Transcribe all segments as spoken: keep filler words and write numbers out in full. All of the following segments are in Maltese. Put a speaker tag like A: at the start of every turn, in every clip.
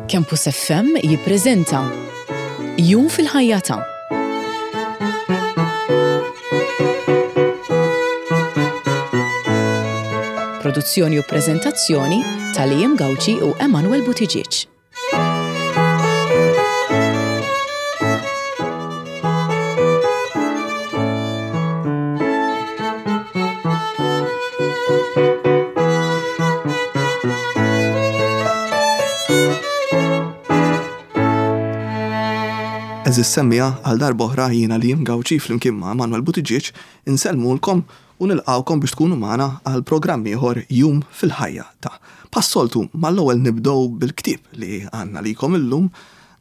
A: Campus F M jippreżenta Jum fil-ħajja ta' Produzzjoni u preżentazzjoni ta' Liam Gauci u Emanuel Buttigieg.
B: Għeżież semmiegħa, għal darb'oħra jiena Liam Gauci flimkien ma' Manuel Buttigieg insellmulkom u nilqawkom biex tkunu magħna għal programm ieħor, Jum fil-ħajja ta'. Bħas-soltu, mal-ewwel nibdew bil-ktieb li għandna likom illum,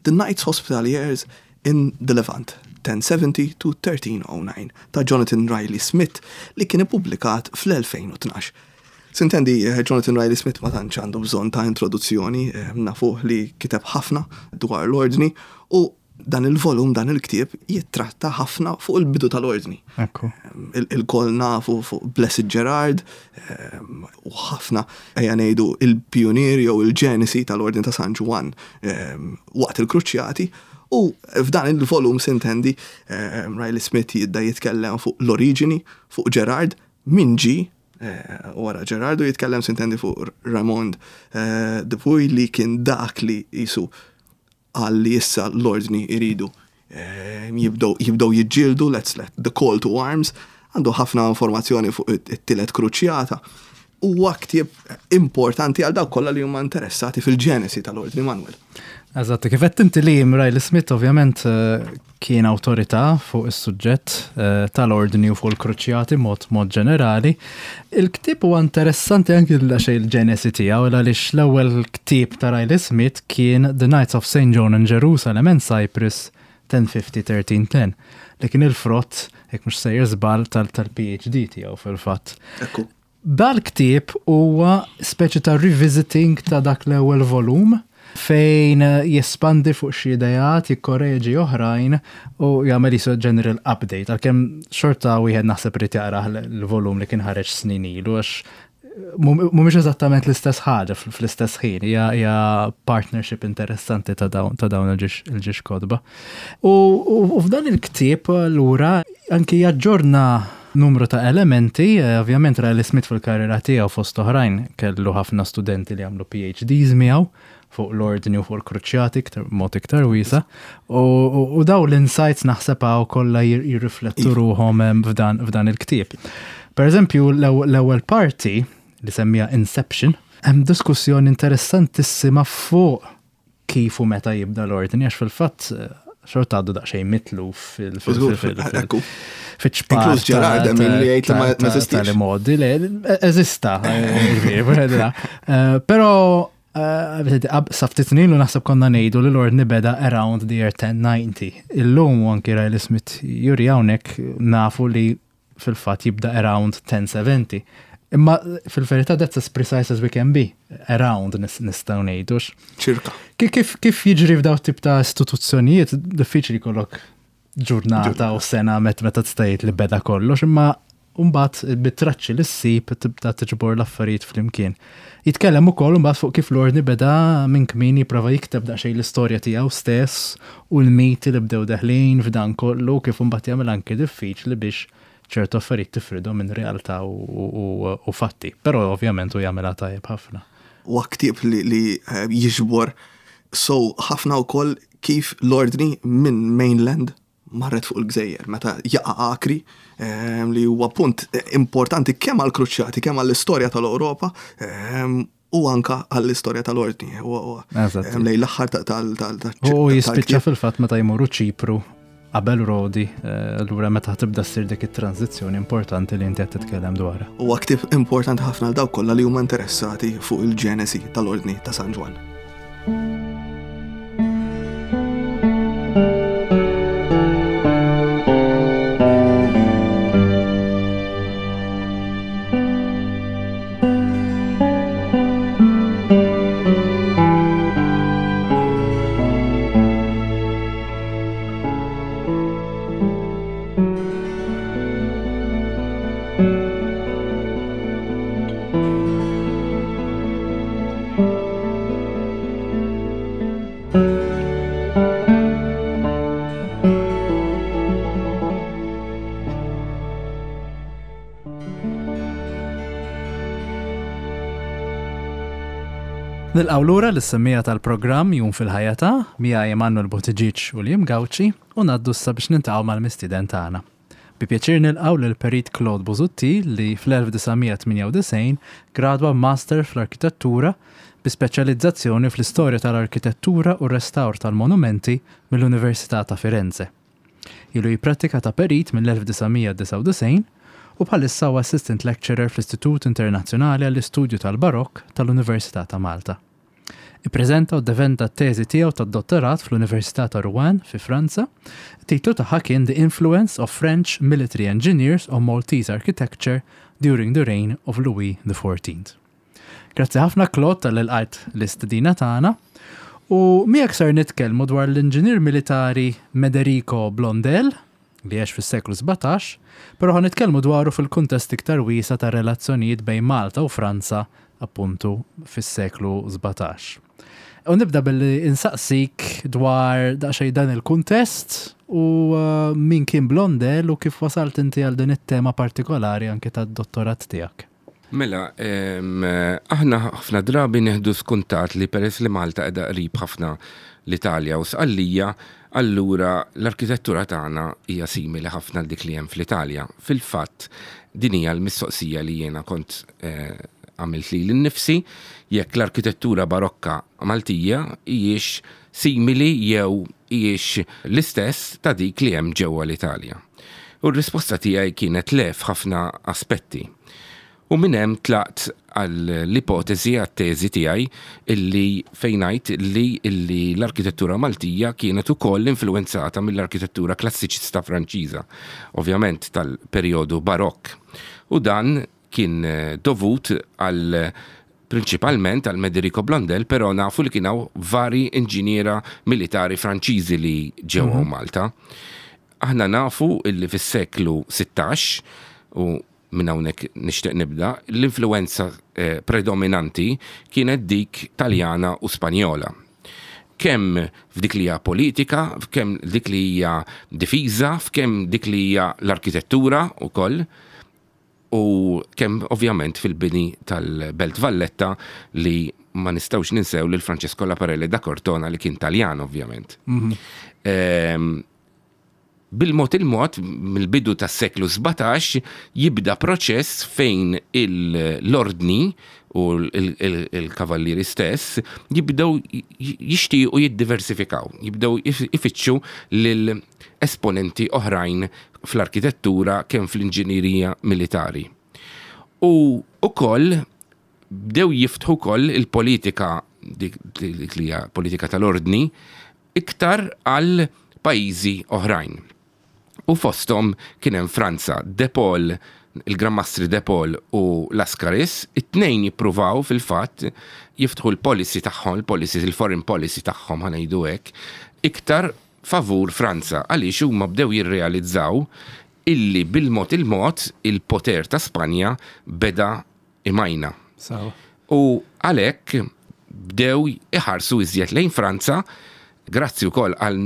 B: The Knights Hospitaliers in the Levant, ten seventy to thirteen oh nine, ta' Jonathan Riley Smith li kien ippubblikat fl-elfejn u tnax. Sintendi, eh, Jonathan Riley Smith ma tantx għandu bżonn ta' introduzzjoni, eh, nafuh li kiteb ħafna dwar l-ordni u dan il-volum, dan il-ktieb jittratta ħafna fuq il-bidu tal-ordni.
C: Ekku.
B: Ilkoll nafu fuq Blessed Gerard em, u ħafna, ejja ngħidu, il-pionier jew il-ġenesi tal-ordni ta' San Ġwann em, waqt il-Kruċjati, u f'dan il-volum, sintendi, em, Riley Smith jibda jitkellem fuq l-oriġini, fuq Gerard, min ġi eh, wara Gerard, u jitkellem, sintendi, fuq Raymond eh, de Puy li kien dak li jisu għal li issa l-ordni iridu eh, jibdew jibdew jiġġieldu, let's let the call to arms. Għandu ħafna informazzjoni fuq it-tielet kruċjata. Huwa ktieb importanti għal dawk kollha li huma interessati fil-ġenesi tal-ordni, Manuel.
C: Eżatt, kif qed inti li Riley Smith ovvjament eh, kien awtorità fuq is-suġġett eh, tal-ordni u fuq il-kruċjati mod mod ġenerali. Il-ktieb huwa interessanti anki għax il-ġenesi tiegħu, għaliex l-ewwel ktieb ta' Riley Smith kien The Knights of Saint John in Jerusalem and Cyprus ten fifty thirteen ten, li kien il-frott, jekk mhux sejjer żball, tal-P H D tiegħu fil-fatt.
B: Ekku.
C: Dal-ktieb huwa speċi ta' revisiting ta' dak l-ewwel volum fejn jespandi fuq xi ideat, jikkoreġi oħrajn u jagħmel jisu general update. Għalkemm xorta wieħed naħseb irid jaqrah l-volum li kien ħareġ snin ilu, għax mhumiex eżattament l-istess ħaġa fl-istess ħin, hija hija partnership interessanti ta' dawn ta' dawn il-żewġ kotba. U, u, u f'dan il-ktieb lura anki jaġġorna numru ta' elementi, eh, ovvjament Riley Smith fil-karriera tiegħu, fost oħrajn, kellu ħafna studenti li għamlu P H Ds miegħu fuq l-ordni u fuq il-kruċjati iktar mod iktar wiesa. U, u, u daw l-insights naħseb hawn kollha jir- jirriflettu ruħhom em, f'dan f'dan il-ktieb. Per eżempju, l-ewwel parti li semmija Inception, hemm diskussjoni interessantissima fuq kif u meta jibda l-ordni, għax fil-fatt eh, xorta għadu daqsxejn mitluf fil- fil-
B: Żgur,
C: fil- fil-
B: ekku.
C: fiċ-ċpar.
B: Inkluż Gerard, hemm min li jgħid li ma- ma eżistix.
C: Tal-modi, le, eżista, eh, ġifieri, eh, Però eh, sa ftit snin ilu naħseb konna ngħidu li l-ordni beda around the year ten ninety. Illum, u anki Riley Smith juri hawnhekk, nafu li fil-fatt jibda around ten seventy. Imma fil-verità that's as precise as we can be. Around nis- nistgħu ngħidux.
B: Ċirka.
C: Kif, kif, kif jiġri f'daw tip ta' istituzzjonijiet, diffiċli jkollok ġurnata u sena met meta tista' tgħid li beda kollox, imma mbagħad bit-traċċi li ssib tibda tiġbor l-affarijiet flimkien. Jitkellem ukoll mbagħad fuq kif l-ordni beda minn kmin jipprova jikteb daqsxejn l-istorja tiegħu stess u l-miti li bdew deħlin f'dan kollu, kif mbagħad jagħmel anke diffiċli biex ċertu affarijiet tifridhom minn realtà u, u, u fatti. Però ovvjament u jagħmilha tajjeb ħafna.
B: Huwa ktieb li, li eh, jiġbor so ħafna wkoll kif l-ordni minn mainland marret fuq il-gżejjer, meta jaqa' Akri, eh, li huwa punt importanti kemm għall-kruċjati, kemm għall-istorja tal-Ewropa, eh, u anka għall-istorja tal-ordni. Huwa- huwa,
C: Eżatt.
B: eh, Lejn l-aħħar tal- tal- tal-
C: U jispiċċa
B: tal-ktieb.
C: fil-fatt meta jmorru Ċipru qabel Rodi, eh, allura meta tibda ssir dik it-tranzizzjoni importanti li inti qed titkellem dwarha.
B: Huwa ktieb importanti ħafna għal dawk kollha li huma interessati fuq il-ġenesi tal-ordni ta' San Ġwann.
C: Nilqgħu lura lis-semmiegħa tal-programm Jum fil-Ħajja ta' miegħi Emanuel Buttigieg u Liam Gauci u ngħaddu issa biex niltaqgħu mal-mistieden tagħna. Bi pjaċir nilqgħu lil Perit Claude Busuttil li fl-elf disa' mija tmienja u disgħin gradwa Master fl-Arkitettura bi speċjalizzazzjoni fl-istorja tal-arkitettura u restawr tal-monumenti mill-Università ta' Firenze. Ilu jippratika ta' perit mill-elf disa' mija disgħa u disgħin u bħalissa huwa assistant lecturer fl-Istitut Internazzjonali għall-Istudju tal-Barokk tal-Università ta' Malta. Ippreżenta u ddefenda t-teżi tiegħu tad-dottorat fl-Università ta' Rouen fi Franza. Titlu tagħha kien The Influence of French Military Engineers on Maltese Architecture During the Reign of Louis the Fourteenth. Grazzi ħafna, Claude, talli lqajt l-istedina tagħna. U miegħek ser nitkellmu dwar l-inġinier militari Mederico Blondel, li għex fis-seklu sbatax, però ħa nitkellmu dwaru fil-kuntest iktar wiesa' ta' relazzjonijiet bejn Malta u Franza appuntu fis-seklu sbatax. U nibda billi insaqsik dwar daqsxejn dan il-kuntest u uh, min kien Blondel u kif wasalt inti għal din it-tema partikolari anke tad-dottorat tiegħek.
D: Mela, em, aħna ħafna drabi neħdu skontat li peress li Malta qiegħda qrib ħafna l-Italja u Sqallija, allura l-arkitettura tagħna hija simili ħafna l dik li hemm fl-Italja. Fil-fatt, din hija l-mistoqsija li jiena kont eh, għamilt lili nnifsi, jekk l-arkitettura barokka Maltija hijiex simili jew hijiex l-istess ta' dik li hemm ġewwa l-Italja. U r-risposta tiegħi kienet le f'ħafna aspetti. U minn hemm tlaqt għall-ipotezi, għat-teżi tiegħi, illi fejn ngħid li illi l-arkitettura Maltija kienet ukoll influenzata mill-arkitettura klassiċista Franċiża, ovvjament tal-perjodu Barokk. U dan kien eh, dovut għal prinċipalment għal Mederico Blondel, però nafu li kien hawn vari inġiniera militari Franċiżi li ġew mm -hmm. Malta. Aħna nafu illi fis-seklu sittax, u minn hawnhekk nixtieq nibda, l-influenza eh, predominanti kienet dik Taljana u Spanjola. Kemm f'dik li hija politika, kemm dik li hija difiża, f'kemm dik li hija l-arkitettura wkoll, u kemm ovvjament fil-bini tal-Belt Valletta, li ma nistgħux ninsew lil Francesco Laparelli da Cortona, li kien Taljan ovvjament. Mm -hmm. Bil-mod il-mod, mill-bidu tas seklu sbatax, jibda proċess fejn l-ordni u il-kavallieri stess jibdew jixtiequ jiddiversifikaw, jibdew ifittxu lil esponenti oħrajn fl-arkitettura kemm fl-inġinierija militari. U ukoll bdew jiftħu koll il-politika, dik li hija politika tal-ordni, iktar għal pajjiżi oħrajn. U fosthom kien hemm Franza, De Paul, il-Gran Mastri De Paul u Lascaris, it-tnejn jippruvaw fil-fatt jiftħu l-policy tagħhom, il-policy, il-foreign policy tagħhom, ħa ngħidu hekk, iktar favur Franza, għaliex huma bdew jirrealizzaw illi bil-mod il-mod il-poter ta' Spanja beda imajna. U għalhekk bdew iħarsu iżjed lejn Franza, grazzi wkoll għal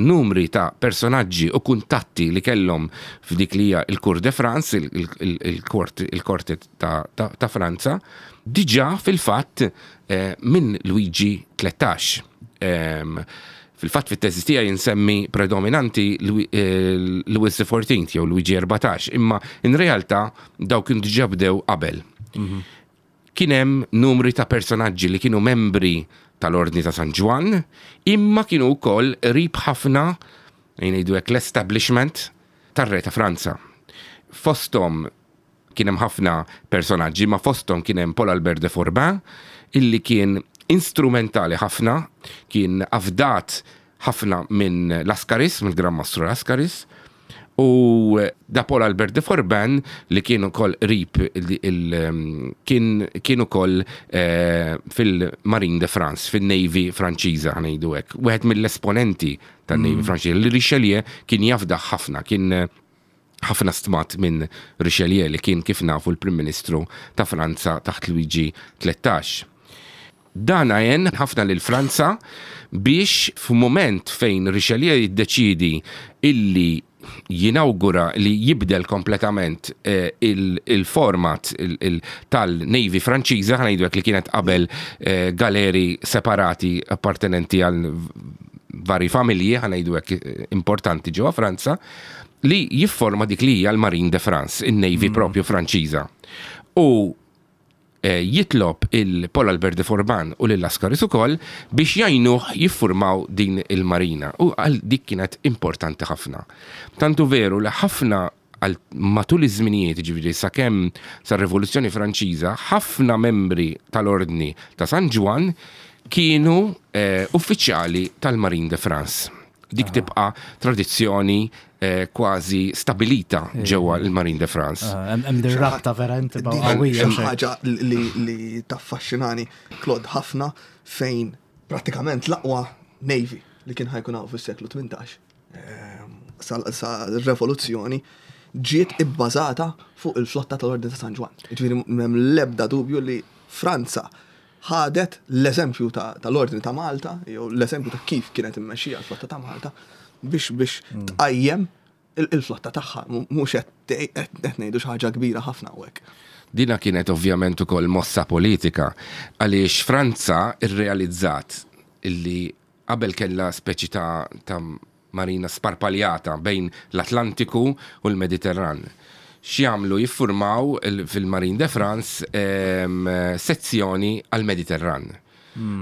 D: numri ta' personaġġi u kuntatti li kellhom f'dik li hija il-Cour de France, il-korte ta' Franza, diġà fil-fatt eh, minn Luigi tlettax. Fil-fatt, fit-teżi tiegħi insemmi predominanti eh, Louis the Fourteenth jew Luigi erbatax, imma in realtà daw kienu diġà bdew qabel. Mhm. Kien hemm numri ta' personaġġi li kienu membri tal-Ordni ta' San Ġwann, imma kienu wkoll qrib ħafna, ngħidu hekk, l-establishment tar-re ta' Franza. Fosthom kien hemm ħafna personaġġi, ma fosthom kien hemm Paul Albert de Forbin, illi kien instrumentali ħafna, kien afdat ħafna minn Lascaris, mill Gran Mastru Lascaris, u da Paul Albert de Forbin, li kien ukoll qrib, kien kien ukoll eh, fil-Marine de France, fil-Navy Franċiża, ħa ngħidu hekk. Wieħed mill-esponenti tan-Navy mm. Franċiża li Richelieu kien jafda ħafna, kien ħafna stmat minn Richelieu, li kien, kif nafu, l-Prim Ministru ta' Franza taħt Luigi tlettax. Dan għen ħafna lil Franza biex f'mument fejn Richelieu jiddeċidi illi jinawgura li jibdel kompletament eh, il-format tal-Navy Franċiża, ħa ngħidu li kienet qabel eh, galeri separati appartenenti għal vari familji, ħa ngħidu eh, importanti ġewwa Franza, li jifforma dik li hija l-Marine de France, il-Navy mm. propju Franċiża. U eh, jitlob il-Paul Albert de Forbin u lil Lascaris ukoll biex jgħinuh jiffurmaw din il-marina. U għal dik kienet importanti ħafna. Tantu veru li ħafna għal matul iż-żminijiet, ġifieri sakemm sar-Rivoluzzjoni Franċiża, ħafna membri tal-Ordni ta' San Ġwann kienu eh, uffiċjali tal-Marine de France. Dik tibqa' tradizzjoni eh, kważi stabilita ġewwa l-Marine de France.
C: Ah, hemm din rabta verament
B: Din
C: qawwija.
B: xi ħaġa li, li taffaxxinani Claude ħafna fejn prattikament l-aqwa Navy li kien ħa jkun hawn fis-seklu tmintax ehm, sa sa rivoluzzjoni ġiet ibbażata fuq il-flotta tal-Ordni ta' San Ġwann. Ġifieri m'hemm l-ebda dubju li Franza ħadet l-eżempju ta- tal-Ordni ta' Malta, jew l-eżempju ta' kif kienet immexxija l-flotta ta' Malta biex biex tqajjem il- il-flotta tagħha, mhux qed qed ngħidu xi ħaġa kbira ħafna hawnhekk.
D: Dina kienet ovvjament ukoll mossa politika għaliex Franza irrealizzat illi qabel kellha speċi ta', ta marina sparpaljata bejn l-Atlantiku u l-Mediterran. X'jagħmlu jiffurmaw il- fil-Marine de France em, sezzjoni għal-Mediterran.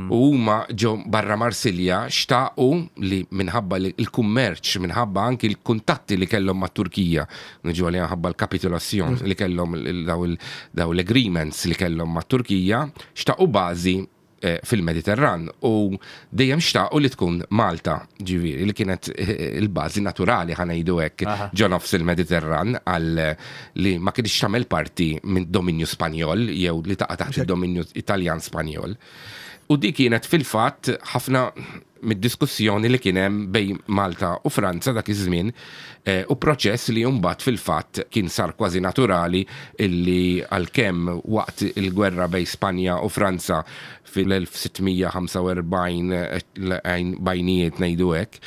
D: U huma ġew barra Marsilja xtaqu li minħabba li il-kummerċ, minħabba anki l-kuntatti li kellhom mat-Turkija, niġu għalija minħabba l-kapitolazzjon li kellhom il- daw il- daw l-agreements li kellhom mat-Turkija, xtaqu bażi eh, fil-Mediterran u dejjem xtaqu li tkun Malta, ġifieri, li kienet eh, il-bażi naturali ħa ngħidu hekk
C: Aha.
D: ġo nofs il-Mediterran għal li ma kienx tagħmel parti minn dominju Spanjol jew li taqa' taħt id-dominju Italjan Spanjol. U di kienet fil-fatt ħafna mid-diskussjoni li kien hemm bejn Malta u Franza dak iż-żmien eh, u proċess li mbagħad fil-fatt kien sar kważi naturali illi għalkemm waqt il-gwerra bejn Spanja u Franza fil-elf sitt mija ħamsa u erbgħin eh, bajnijiet ngħidu hekk,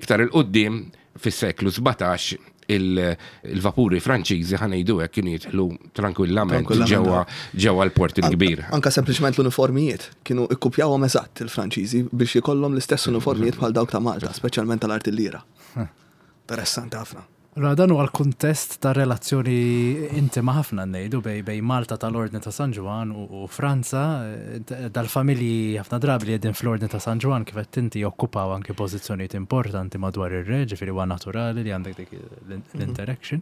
D: iktar il-qoddim fis-seklu sbatax il- il-vapuri Franċiżi ħa ngħidu hekk kienu jidħlu tranquillament
B: Tranquillament,
D: ġewwa ġewwa l-port il-kbir.
B: Anka sempliċement l-uniformijiet kienu ikkupjawhom eżatt il-Franċiżi biex jkollhom l-istess uniformijiet bħal dawk ta' Malta, speċjalment tal-artillira. Interessanti ħafna.
C: Allora dan huwa l-kuntest ta' relazzjoni intima ħafna ngħidu bej bej Malta tal-Ordni ta' San Ġwann u, u Franza, eh, d- dal-familji ħafna drabi li qegħdin fl-Ordni ta' San Ġwann kif qed inti jokkupaw anke pożizzjonijiet importanti madwar ir-re, ġifieri huwa naturali li għandek dik l- l-interaction.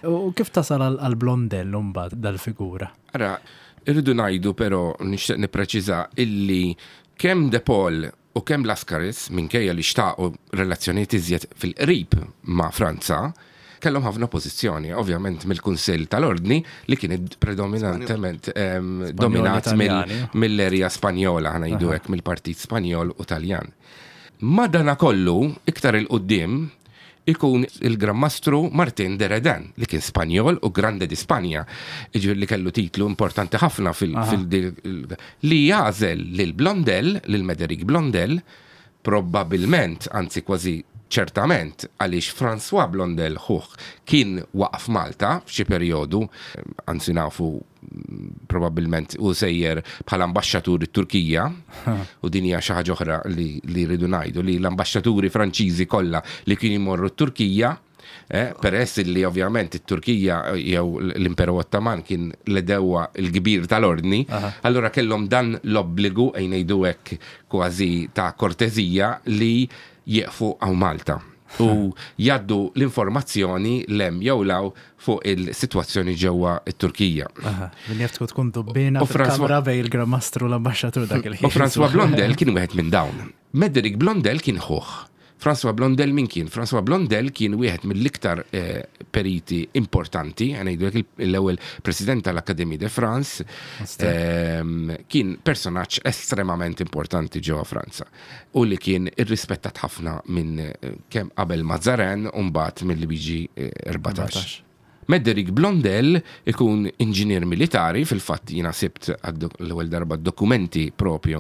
C: U kif tasal għal għal Blondel mbagħad dal-figura?
D: Ara, irridu ngħidu però nixtieq nippreċiża illi kemm De Paul u kemm Lascaris minkejja li xtaqu relazzjonijiet iżjed fil-qrib ma' Franza, kellhom ħafna pożizzjoni, ovvjament mill-Kunsill tal-Ordni li kien predominantement em, dominat mill-
C: Italjani.
D: mill-erja Spanjola, ħa ngħidu hekk, mill-Partit Spanjol u Taljan. Madana kollu, iktar il-qoddim, ikun il-Gran Mastru Martin de Redan, li kien Spanjol u Grande di Spanja, ġifieri li kellu titlu importanti ħafna fil, fil li jagħżel lil Blondel, lil Mederic Blondel, probabilment, anzi kważi ċertament, għaliex François Blondel ħuh kien waqaf Malta f'xi perjodu, anzi nafu mm, probabilment u sejjer bħala ambasċatur it-Turkija, u din hija xi ħaġa oħra li, li rridu ngħidu li l-ambaxxaturi Franċiżi kollha li kienu jmorru t-Turkija, eh, peress li ovvjament it-Turkija jew l-Imperu Ottoman kien l-għedewwa l-kbir tal-ordni, allura kellhom dan l-obbligu ejja ngħidu hekk kważi ta' kortezija li jieqfu hawn Malta u jgħaddu l-informazzjoni 'l hemm jew 'l hawn fuq il-sitwazzjoni ġewwa it-Turkija.
C: Aha, Min jaf tkun tkun dubbina
D: U François-
C: fil-kamra bej il-Gran Mastru l-ambasċatur dak il-ħin.
D: U François Blondel kien wieħed minn dawn. Mederic Blondel kien ħuh. François Blondel min kien? François Blondel kien wieħed mill-iktar eh, periti importanti, ħa ngħidu l-ewwel president tal-Académie de France, ehm, kien personaġġ estremament importanti ġewwa Franza u li kien irrispettat ħafna minn eh, kemm qabel Mazarin u mbagħad minn Luigi eh, erbatax. Médéric Blondel ikun inġinier militari, fil-fatt jiena sibt l-ewwel darba dokumenti propju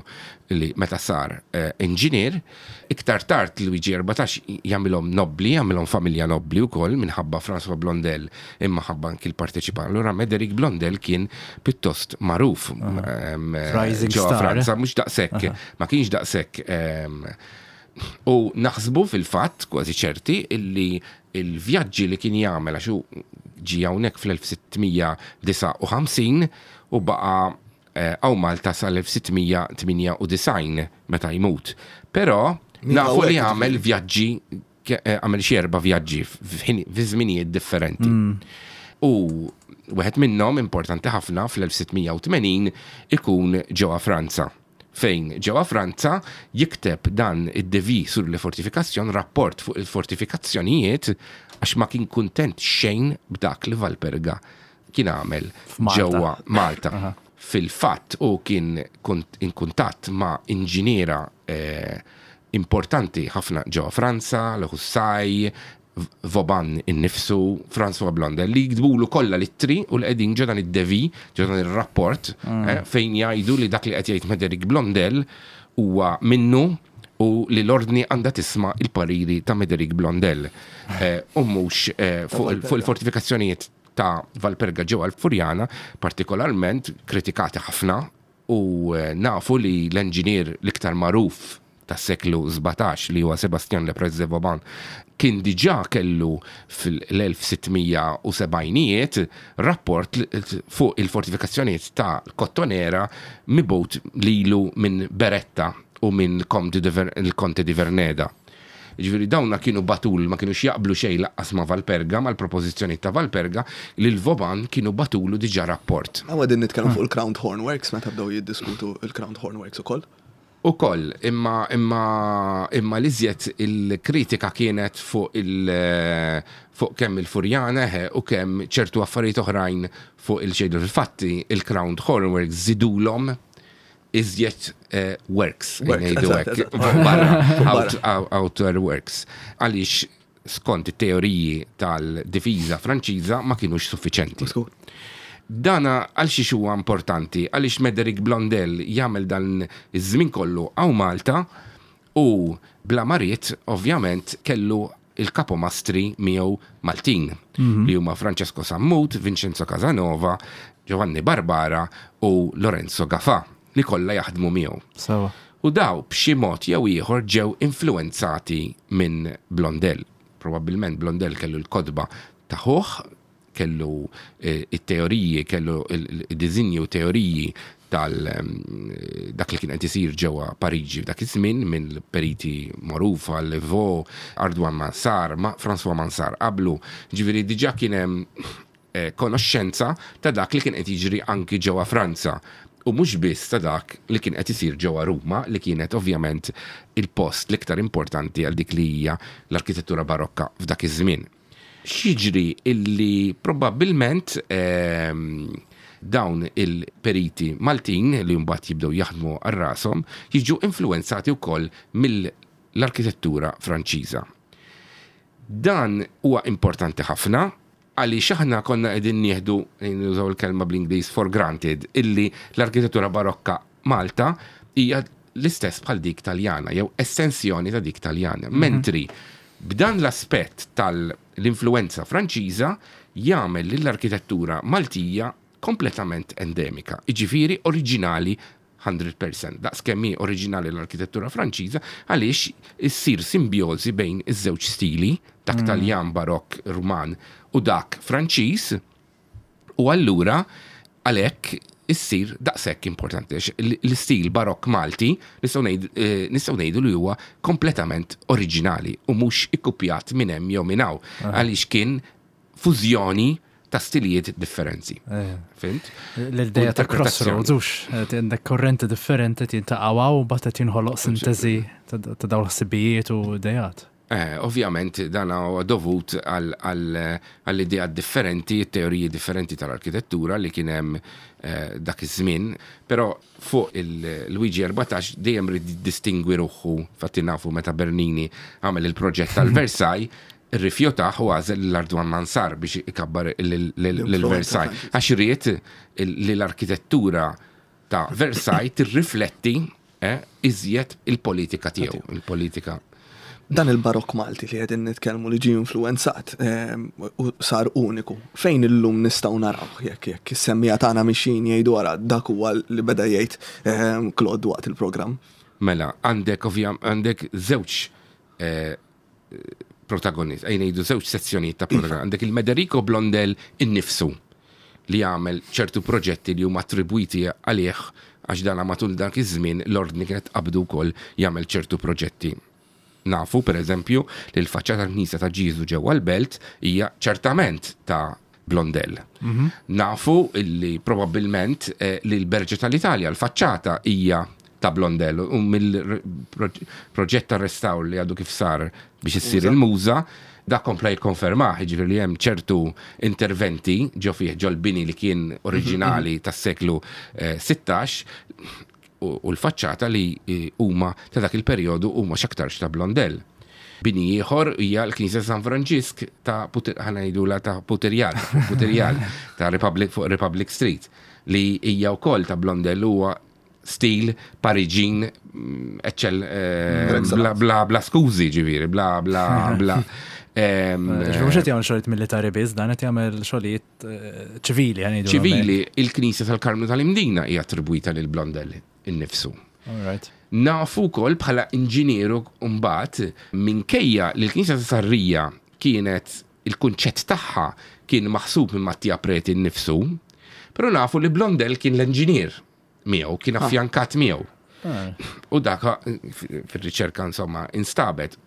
D: li meta sar eh, inġinier. Iktar tard Luigi erbatax jagħmilhom nobli, jagħmilhom familja nobli wkoll minħabba François Blondel, imma ħabba anki l-parteċipan. Allura Médéric Blondel kien pjuttost magħruf ehm,
C: Rising
D: ġewwa
C: star,
D: Franza,
C: eh?
D: Mhux daqshekk, ma kienx daqshekk ehm, u naħsbu fil-fatt, kważi ċerti, illi il-vjaġġi li kien jagħmel, għax hu ġie hawnhekk fl-elf sitt mija disgħa u ħamsin u baqa' hawn Malta sal-elf sitt mija tmienja u disgħin meta jmut. Però
B: Min
D: nafu li
B: hawnhekk
D: għamel vjaġġi, għamel xi erba' vjaġġi f'ħin- fi żminijiet differenti. U wieħed minnhom importanti ħafna fl-elf sitt mija u tmenin ikun ġewwa Franza, fejn ġewwa Franza jikteb dan id-devis sur le fortification, rapport fuq il-fortifikazzjonijiet, għax ma kien kuntent xejn b'dak li Valperga kien għamel
C: f'Malta.
D: Ġewwa Malta. Fil-fatt u kien kunt- in kuntatt ma' inġiniera eh, importanti ħafna ġewwa Franza, Le Houssay, Vauban innifsu, François Blondel, li jiktbulu kollha l-ittri u li qegħdin ġo dan id-devis, ġo dan ir-rapport, eh, fejn jgħidu li dak li qed jgħid Médéric Blondel huwa minnu u li l-ordni għandha tisma' il-pariri ta' Médéric Blondel eh, u mhux eh, fuq il- fuq il-fortifikazzjonijiet ta' Valperga ġewwa l-Furjana, partikolarment kritikati ħafna, u eh, nafu li l-enġinier l-iktar magħruf tas seklu sbatax, li huwa Sebastian Le Prestre de Vauban, kien diġà kellu fil-elf sitt mija u sebgħinijiet rapport fuq il-fortifikazzjonijiet ta' Kottonera mibgħut lilu minn Beretta u minn Conte di Ver- il-Conte di Verneda. Ġifieri dawna kienu batul, ma kienux jaqblu xejn laqqas ma' Valperga, mal-propożizzjoni ta' Valperga, li l-Vauban kienu bagħtulu diġà rapport.
B: Hawn qegħdin nitkellmu fuq il-Crowned Hornworks, meta bdew jiddiskutu il-Crowned Hornworks ukoll.
D: U koll, imma, imma, imma l-iżjed il-kritika kienet fuq il fuq kemm il-Furjana eh, u kemm ċertu affarijiet oħrajn fuq il-xejdu. Fil-fatti il-Crowned Hornworks żidulhom iżjed eh, works,
B: Works,
D: ngħidu
B: eżatt,
D: hekk,
B: eżatt.
D: barra,
B: Barra.
D: out- out- outer works. Għaliex skont it-teoriji tal-difiża Franċiża ma kienux suffiċenti.
B: Skur.
D: Dana għal xiex huwa importanti? Għaliex Médéric Blondel jagħmel dan iż-żmien kollu hawn Malta u bla ma ried ovvjament kellu il-kapomastri miegħu Maltin, li huma Francesco Sammut, Vincenzo Casanova, Giovanni Barbara u Lorenzo Gafà, li kollha jaħdmu miegħu.
C: Sawa.
D: U daw b'xi mod jew ieħor ġew influenzati minn Blondel. Probabbilment Blondel kellu l-kotba ta' ħuh, kellu eh, it-teoriji, kellu il-dizinji u teoriji tal em, dak li kien qed isir ġewwa Pariġi f'dak iż-żmien minn periti magħrufa, Leveau, Ardouin Mansart, ma François Mansart qablu. Ġifieri diġà kien hemm eh, konoxxenza ta' dak li kien qed jiġri anki ġewwa Franza. U mhux biss ta' dak li kien qed isir ġewwa Ruma, li kienet ovvjament il-post l-iktar importanti għal dik li hija l-arkitettura barokka f'dak iż-żmien. X'jiġri illi probabbilment ehm, dawn il-periti Maltin li mbagħad jibdew jaħdmu għal rashom jiġu influenzati wkoll mill-arkitettura Franċiża. Dan huwa importanti ħafna għaliex aħna konna qegħdin nieħdu, nużaw il-kelma bl-Ingliż, for granted illi l-arkitettura barokka Malta hija l-istess bħal dik Taljana jew estensjoni ta' dik Taljana. Mentri b'dan l-aspett tal-influenza Franċiża jagħmel lill-arkitettura Maltija kompletament endemika, jiġifieri oriġinali mija fil-mija. Daqs kemm hi oriġinali l-arkitettura Franċiża, għaliex issir simbjożi bejn iż-żewġ stili, dak Taljan barokk Ruman u dak Franċiż, u allura għalhekk issir daqshekk importanti għax l- l-istil barokk Malti nistgħu ngħid- eh, nistgħu ngħidu li huwa kompletament oriġinali u mhux ikkupjat minn hemm jew minn hawn, għaliex kien fużjoni ta' stilijiet differenti. Fhimt?
C: L-ideja ta'
D: Interpretazzjoni.
C: crossroads, ux, għandek korrenti differenti jiltaqgħu u mbagħad qed jinħoloq sintesi ta' ta' dawn l-ħsibijiet u idejat.
D: Eh, ovvjament dan huwa dovut għall-idea differenti, teoriji differenti tal-arkitettura li kien hemm eh, dak iż-żmien, però fuq il-Luigi erbatax dejjem ried distingwi ruħu. Fatti nafu meta Bernini għamel il-proġett tal-Versailles. Irrifjutah u għażel l-Ardouin Mansart biex ikabbar l-Versailles. Għax ried li l-arkitettura ta' Versailles tirrifletti eh, iżjed il-politika tiegħu, il-politika.
B: Dan il-barok Malti li qegħdin nitkellmu li ġie influenzat ehm, u sar uniku. Fejn illum nistgħu naraw jekk jekk is-semmiegħa tagħna mixin jgħidu wara dak huwa li beda jgħid ehm, Claude waqt il-programm?
D: Mela, għandek ovvjam għandek żewġ eh, protagonist, ejja ngħidu żewġ sezzjonijiet ta' protagonist. Għandek il-Mederico Blondel innifsu li għamel ċertu proġetti li huma attribwiti għalih, għax dana matul dak iż-żmien l-ordni kienet qabdu wkoll jagħmel ċertu proġetti. Nafu, per eżempju, li l-faċċata tal-Knisja ta' Ġiżu ġewwa l-Belt hija ċertament ta' Blondel. Nafu li probabbilment eh, li l-Berġa tal-Italja, l-faċċata hija ta' Blondel u mill-proġett ta' restawr li għadu kif sar biex issir il-muża, da kompla jikkonfermah, jiġifieri li hemm ċertu interventi ġo fih, ġo l-bini li kien oriġinali tas-seklu eh, sittax u u l-faċċata li eh, huma ta' dak il-perjodu huma x'aktarx ta' Blondel. Bini ieħor hija l-Knisja San Franġisk ta' Puter- ħa ngħidula ta' Puterjal, Puterjal ta' Republic fuq Republic Street, li hija wkoll ta' Blondel, huwa stil Pariġin mm, eċċell eh, bla, bla, bla skużi ġifieri, bla bla bla. Em,
C: Ġifieri mhux qed jagħmel xogħlijiet militari biss, dan qed jagħmel xogħlijiet eh, ċivili, ħa ngħidu.
D: Ċivili, il-Knisja tal-Karmnu tal-Imdina hija attribwita lil Blondel innifsu.
C: All right.
D: Nafu wkoll bħala inġinieru mbagħad, minkejja li l-Knisja ta' Sarrija kienet il-kunċett tagħha kien maħsub minn Mattia Preti nnifsu, però nafu li Blondel kien l-inġinier miegħu, kien affjankat miegħu.
C: Ah.
D: U dak fil-riċerka insomma instabet.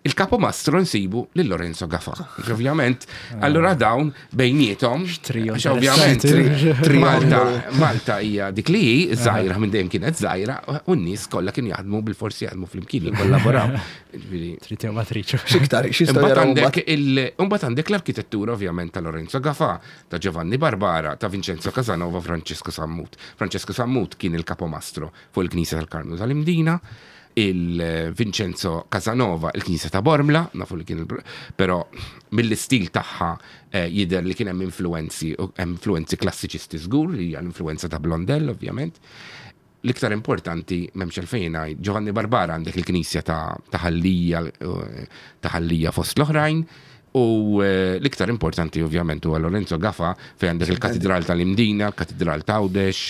D: Il-kapomastro nsibu lil Lorenzo Gafa. Ovvjament, allura dawn bejniethom,
C: Trio
D: għax ovvjament
C: interessanti.
D: Malta, Malta hija dik li hi, żgħira minn dejjem kienet żgħira, u n-nies kollha kienu jaħdmu bil-forsi jaħdmu flimkien, jikkollaboraw. Ġifieri,
C: Trid jew ma tridx.
B: X'iktar, x'jistgħu
D: Imbagħad
B: jaraw
D: għandek
B: mbagħad?
D: il- imbagħad għandek l-arkitettura ovvjament ta' Lorenzo Gafa, ta' Giovanni Barbara, ta' Vincenzo Casanova, Francesco Sammut. Francesco Sammut kien il-kapomastro fuq il-Knisja tal-Karmnu tal-Imdina, il-Vincenzo Casanova il-Knisja ta' Bormla, nafu li kien il però mill-istil tagħha eh, jidher li kien hemm influenzi, influenzi klassiċisti żgur, li hija l-influenza ta' Blondel ovvjament. L-iktar importanti, m'hemmx għalfejn ngħid, Giovanni Barbara, għandek il-Knisja ta' ta' Ħal Lija, eh, ta' Ħal Lija fost l-oħrajn, u eh, l-iktar importanti ovvjament huwa Lorenzo Gafa, fejn għandek il-Katedral tal-Imdina, il-Katedral ta' Għawdex,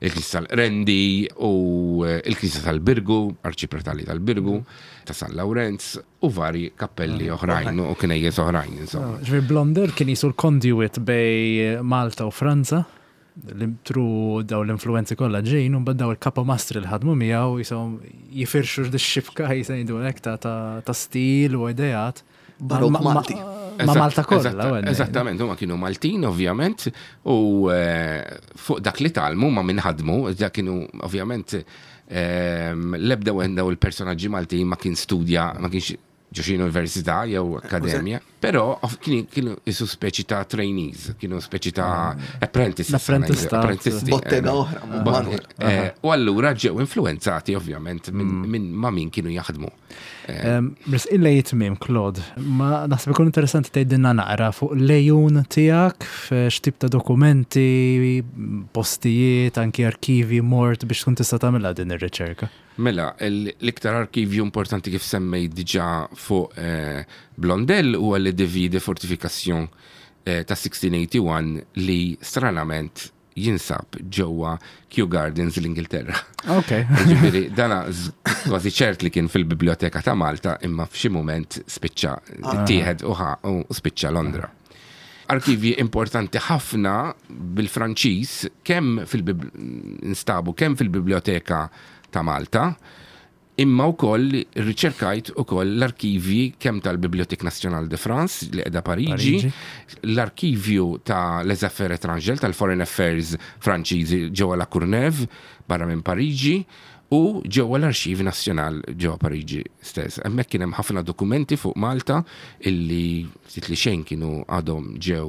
D: il-Knisja tal-Rendi u eh, il-Knisja tal-Birgu, Arċipretali tal-Birgu, ta' San Lawrenz u vari kappelli oħrajn u knejjes oħrajn, insomma.
C: Ġifieri Blondel kien qisu l-conduit bejn Malta u Franza, li through daw l-influenzi kollha ġejn, u mbagħad daw il-kapomastri li ħadmu miegħu jisom jifirxu x-xibka jisajdu hekk ta' ta' ta' stil u ideat.
B: Barok
C: Ma- ma-
B: Malti.
C: Ma'
D: Eżatt,
C: Malta kollha.
D: eżatta-
C: u għedni.
D: Eżattament, huma kienu Maltin ovvjament u eh, fuq dak li tgħallmu ma' min ħadmu, dak kienu ovvjament ehm, l-ebda wieħed daw il-personaġġi Maltin ma kien studja, ma kienx ġo xi università jew akkademja, però of- kienu kienu isu speċi ta' trainees, kienu speċi ta' apprentices.
C: L-apprentistat.
D: apprentisti.
B: Bottega
D: eh,
B: oħra,
D: Bo-
B: Manuel.
D: eh, U allura ġew influenzati ovvjament minn min ma' min kienu jaħdmu.
C: Bris illa jitmim, Claude, ma naħseb ikun interessanti tgħidilna naqra fuq l-għejun tiegħek, f'x'tip ta' dokumenti, postijiet, anki arkivi mort biex tkun tista' tagħmilha din ir-riċerka.
D: Mela, l- l-iktar arkivju importanti kif semmej diġà fuq eh, Blondel huwa le devis de fortification eh, ta' sittax wieħed li stranament jinsab ġewwa Kew Gardens l-Ingilterra.
C: Ok.
D: Ġifieri, dana z- kważi ċert li kien fil-Biblioteka ta' Malta imma f'xi moment spiċċa tieħed u ħa- u spiċċa Londra. Arkivi importanti ħafna bil-Franċiż kemm fil instabu kemm fil-Biblioteka ta' Malta, imma wkoll riċerkajt ukoll l-arkivji kemm tal-Bibliothèque Nationale de France li qiegħda Pariġi,
C: Pariġi.
D: l-arkivju ta' Les Affaires étrangères tal-Foreign Affairs Franċiżi ġewwa La Courneuve barra minn Pariġi u ġewwa l-Archives Nationales ġewwa Pariġi stess. Hemmhekk kien hemm ħafna dokumenti fuq Malta illi ftit li xejn kienu għadhom ġew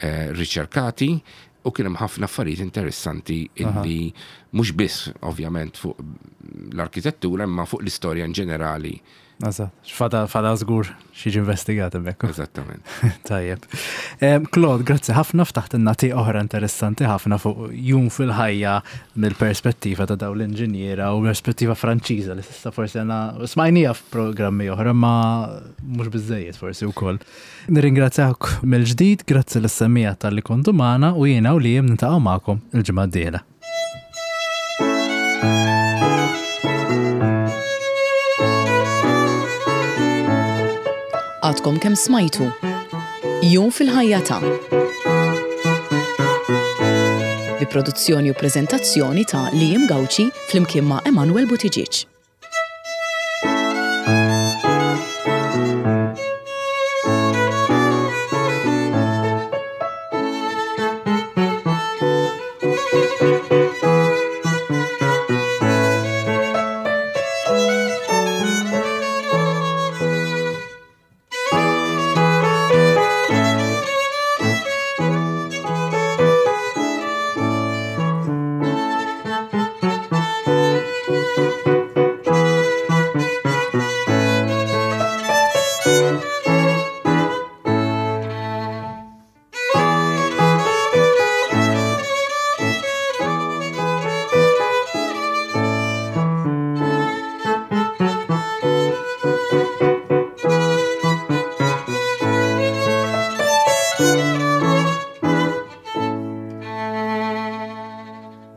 D: eh, riċerkati u kien hemm ħafna affarijiet interessanti illi Mhux biss ovvjament fuq l-arkitettura, imma fuq l-istorja in ġenerali.
C: Eżatt, fadal fadal żgur x'jiġi investigat hemmhekk.
D: Eżattament.
C: Tajjeb. Em, Claude, grazzi ħafna, ftaħtilna tieqa oħra interessanti ħafna fuq jum fil-ħajja mill-perspettiva ta' dawn l-inġiniera u perspettiva Franċiża li s'issa forsi għana smajnija f'programmi oħra ma mhux biżejjed forsi wkoll. Nirringrazzjak mill-ġdid, grazzi lis-semmiegħa talli kontu magħna u jiena u li niltaqgħu magħkom il-ġimgħa d-dieħla.
A: Għadkom kemm smajtu. Jum fil-ħajja ta' bi produzzjoni u preżentazzjoni ta' Liam Gauci flimkien ma' Emanuel Buttigieg.